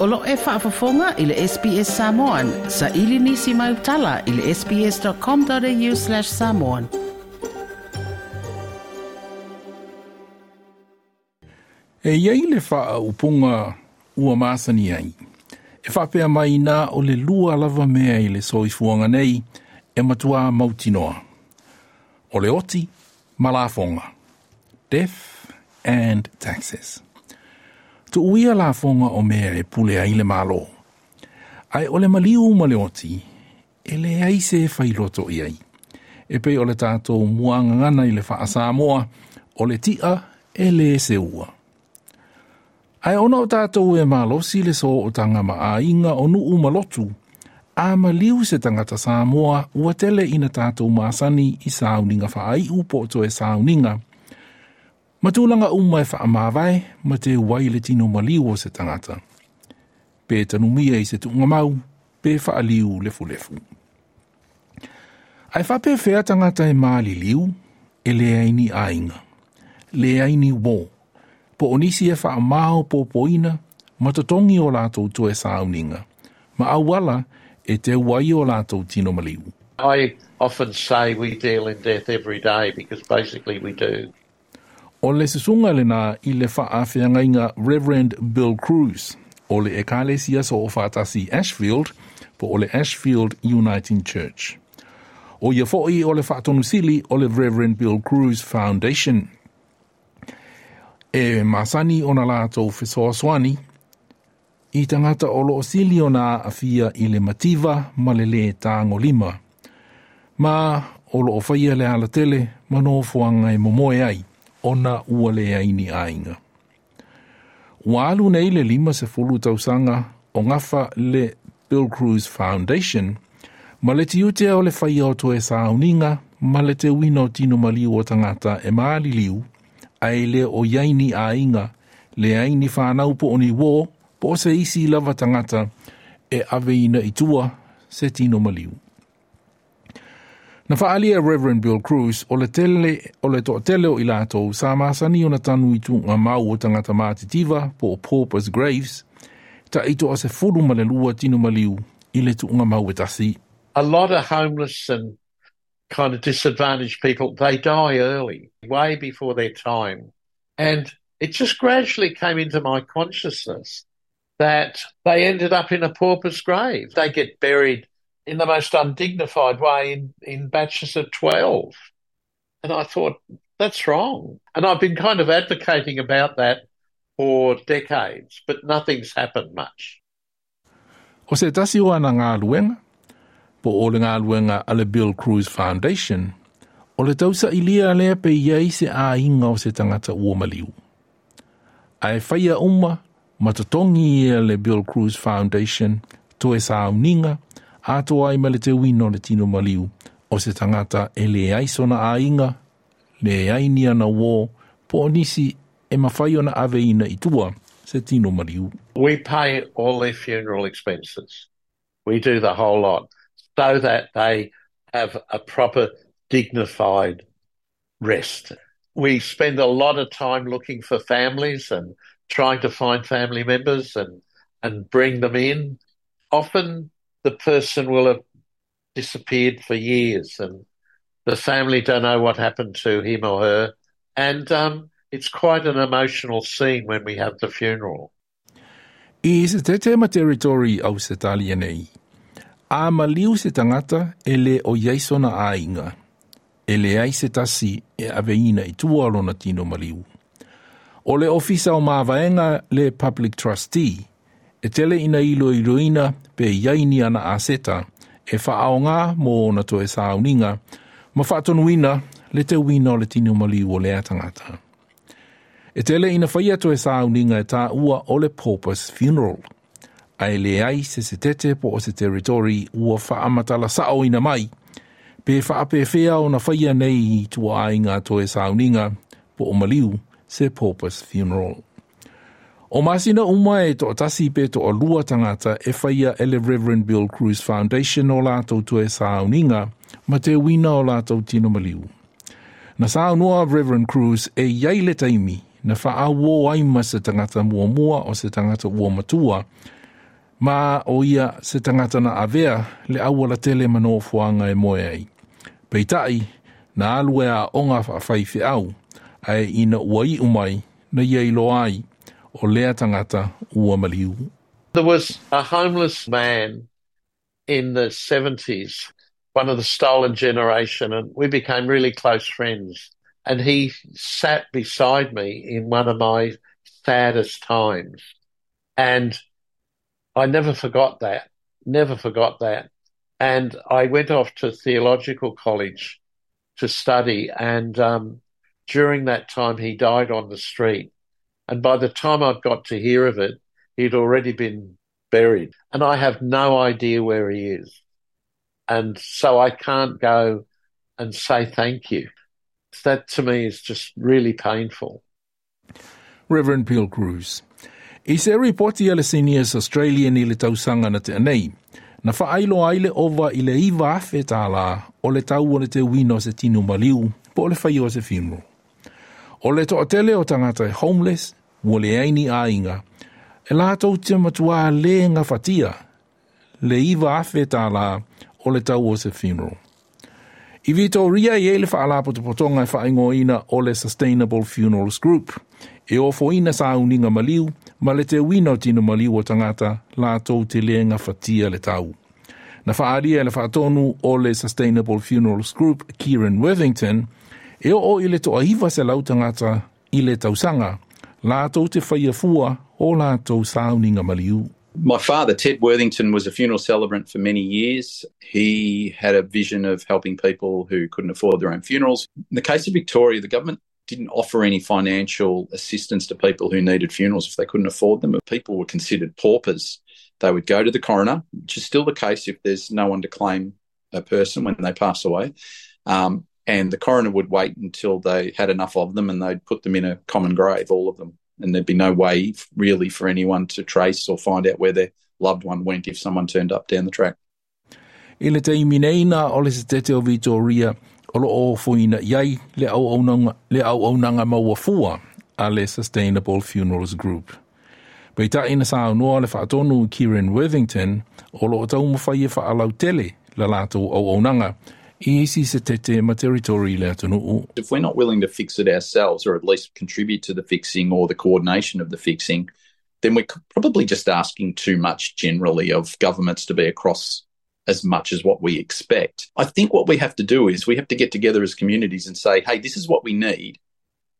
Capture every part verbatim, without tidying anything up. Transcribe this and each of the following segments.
O lo e faafofoga i le S B S Samoan, sa ili nisi mai utala i le S B S dot com dot A U slash samoan. E iai le faaupuga ua masani ai. E faapea mai na o le lua lava mea i le soifuaga nei e matuā mautinoa. O le oti ma lafoga. Death and taxes. Tuuia lafoga o mea e pule ai le Malo. Ae o le maliu ma le oti, e leai se failoto i ai. E pei o le tatou muagagana i le faa-Samoa, o le ti'a e le seua. Ae ona o tatou e malosi le sootaga ma aiga o nuu ma lotu, a maliu se tagata Samoa ua tele ina tatou masani i sauniga faaiu po o toe sauniga. Ma tulaga uma e faamavae ma teu ai le tino maliu o se tagata. Pe tanumia i se tuugamau, pe faaliu lefulefu. Ae faapefea tagata e maliliu, e leai ni aiga, leai ni uō, po o nisi e faamaopoopoina ma totogi o latou toe sauniga, ma auala e teu ai o latou tino maliu. I often say we deal in death every day because basically we do. O le susuga lena i le faafeagaiga Reverend Bill Cruz, o le Ekalesia Soofaatasi Ashfield, po o le Ashfield Uniting Church. O ia foi o le faatonusili o le Reverend Bill Cruz Foundation. E masani ona latou fesoasoani i tagata o loo sili ona aafia i le mativa ma le lē tagolima. Ma o loo faia le alatele ma nofoaga e momoe ai, ona ua leai ni aiga. Ua alu nei le lima sefulu tausaga o gafa le Bill Cruz Foundation ma le tiute o le faia o toe sauniga ma le teuina o tino maliu o tagata e maliliu, ae le o iai ni aiga, leai ni fanau po o ni uō, po o se isi lava tagata e aveina i tua se tino maliu. Na faaalia Reverend Bill Cruz o le tele o le toatele o i latou sa masani ona tanu i tuugamau o tagata matitiva po o paupers graves, tai toasefulu ma le lua tino maliu i le tuugamau e tasi. A lot of homeless and kind of disadvantaged people, they die early, way before their time. And it just gradually came into my consciousness that they ended up in a pauper's grave. They get buried in the most undignified way in, in batches of twelve. And I thought, that's wrong. And I've been kind of advocating about that for decades, but nothing's happened much. O se tasi o ana galuega, po o le galuega a le Bill Cruz Foundation, o le tausailia lea pe iai se aiga o se tagata ua maliu. Ae faia uma ma totogi e le Bill Cruz Foundation toe sauniga atoa ai ma le teuina o le tino maliu o se tagata e leai sona aiga, leai ni ana uō, po o nisi e mafai ona aveina i tua se tino maliu. We pay all their funeral expenses. We do the whole lot so that they have a proper dignified rest. We spend a lot of time looking for families and trying to find family members and, and bring them in. Often the person will have disappeared for years and the family don't know what happened to him or her. And um, it's quite an emotional scene when we have the funeral. I se tete ma territory Ausetalia nei. A maliu se tagata e le o iai sona aiga. E leai se tasi e aveina i tua lona tino maliu. O le ofisa o mavaega le Public Trustee, e tele ina iloiloina pe iai ni ana aseta e faaoga mo ona toe sauniga, ma faatonuina le teuina o le tino maliu o lea tagata. E tele ina faia toe sauniga e taua o le pauper's funeral. Ae leai se setete po o se territory ua faamatala saoina mai, pe faapefea ona faia nei i ituaiga toe sauniga po o maliu se pauper's funeral. O masina uma e toatasi pe toalua tagata e faia e le Reverend Bill Cruz Foundation o latou toe sauniga ma teuina o latou tino maliu. Na saunoa Reverend Cruz e iai le taimi na faauō ai ma se tagata muamua o se tagata ua matua. Ma o ia se tagata na avea le aualatele ma nofoaga e moe ai. Peitai, na alu e aoga faafaifeau, ae ina ua iu mai, na ia iloa ai, o lea tagata ua maliu. There was a homeless man in the seventies, one of the stolen generation, and we became really close friends. And he sat beside me in one of my saddest times. And I never forgot that, never forgot that. And I went off to theological college to study. And um, during that time, he died on the street. And by the time I'd got to hear of it, he'd already been buried. And I have no idea where he is. And so I can't go and say thank you. That to me is just really painful. Reverend Bill Crews. I se ripoti a le Seniors Australian i le tausaga na tea nei, na faailoa ai le ova i le iva afe tālā o le tau o le teuina o se tino maliu po o le faia o se funeral. O le toatele o tagata e homeless, ua leai ni aiga, e latou te matuā le gafatia le iva afe tālā o le tau o se funeral. I Vitoria e i ai le faalapotopotoga e faaigoaina o le Sustainable Funerals Group, e ofoina sauniga maliu ma le teuina o tino maliu o tagata latou te le gafatia le tau. Na faaalia e le faatonu o le Sustainable Funerals Group, Kieran Worthington, e oo i le toaiva selau tagata i le tausaga, latou te faia fua o latou sauniga maliu. My father, Ted Worthington, was a funeral celebrant for many years. He had a vision of helping people who couldn't afford their own funerals. In the case of Victoria, the government didn't offer any financial assistance to people who needed funerals if they couldn't afford them. People were considered paupers. They would go to the coroner, which is still the case if there's no one to claim a person when they pass away. Um, and the coroner would wait until they had enough of them and they'd put them in a common grave, all of them. And there'd be no way really for anyone to trace or find out where their loved one went if someone turned up down the track. I le taimi nei na o le setete o Vitoria o loo ofoina i ai le auaunaga, le auaunaga maua fua a le Sustainable Funerals Group. Peitai na saunoa le faatonu Kieran Worthington o loo taumafai e faalautele la latou auaunaga i isi setete ma territory le atunuu. If we're not willing to fix it ourselves, or at least contribute to the fixing or the coordination of the fixing, then we're probably just asking too much generally of governments to be across as much as what we expect. I think what we have to do is we have to get together as communities and say, hey, this is what we need,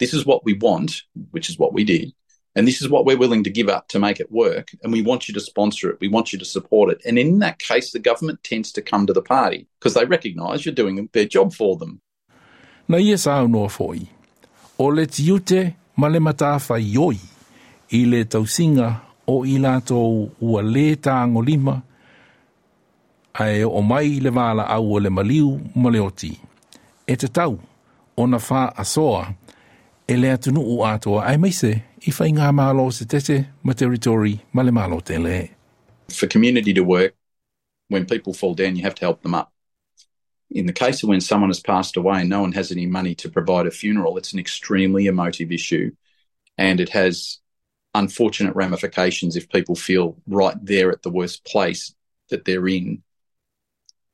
this is what we want, which is what we did, and this is what we're willing to give up to make it work, and we want you to sponsor it, we want you to support it. And in that case, the government tends to come to the party because they recognise you're doing their job for them. Na ia saunoa foi, o le tiute ma le matafaioi i le tausiga o i latou ua le tagolima ae oo mai le valaau o le maliu ma le oti. E tatau ona faasoa e le atunuu atoa aemaise i faigamalo setete ma territory ma le malo tele. For community to work, when people fall down, you have to help them up. In the case of when someone has passed away and no one has any money to provide a funeral, it's an extremely emotive issue, and it has unfortunate ramifications if people feel right there at the worst place that they're in,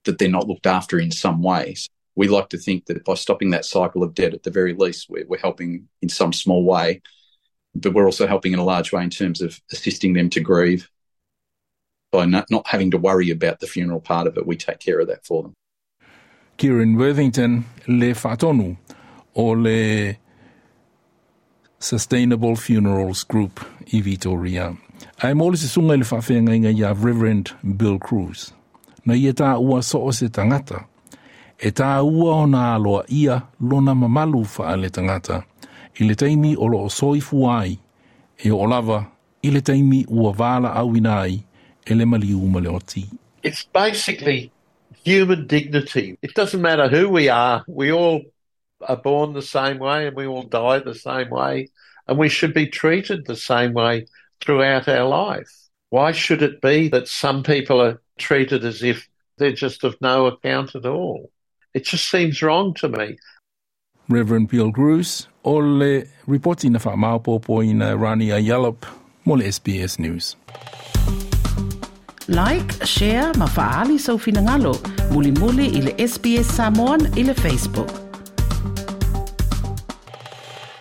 that they're not looked after in some way. So we like to think that by stopping that cycle of debt, at the very least, we're, we're helping in some small way, but we're also helping in a large way in terms of assisting them to grieve by not, not having to worry about the funeral part of it. We take care of that for them. Kieran Worthington le faatonu o le Sustainable Funerals Group i Vitoria. Ae mo le susuga i le faafeagaiga ia Reverend Bill Crews. Na ia taua so o se tagata. E taua ona aloaia lona mamalu faaletagata. I le taimi o loo soifua ai, e oo lava i le taimi ua valaauina ai e le maliu ma le oti. It's basically human dignity. It doesn't matter who we are. We all are born the same way and we all die the same way, and we should be treated the same way throughout our life. Why should it be that some people are treated as if they're just of no account at all? It just seems wrong to me. Reverend Bill Crews o le ripoti na faamaopoopoina Rania Yallop mo le S B S News. Like, share ma fa'aali sou finagalo. Mulimuli i le S B S Samoan i le Facebook.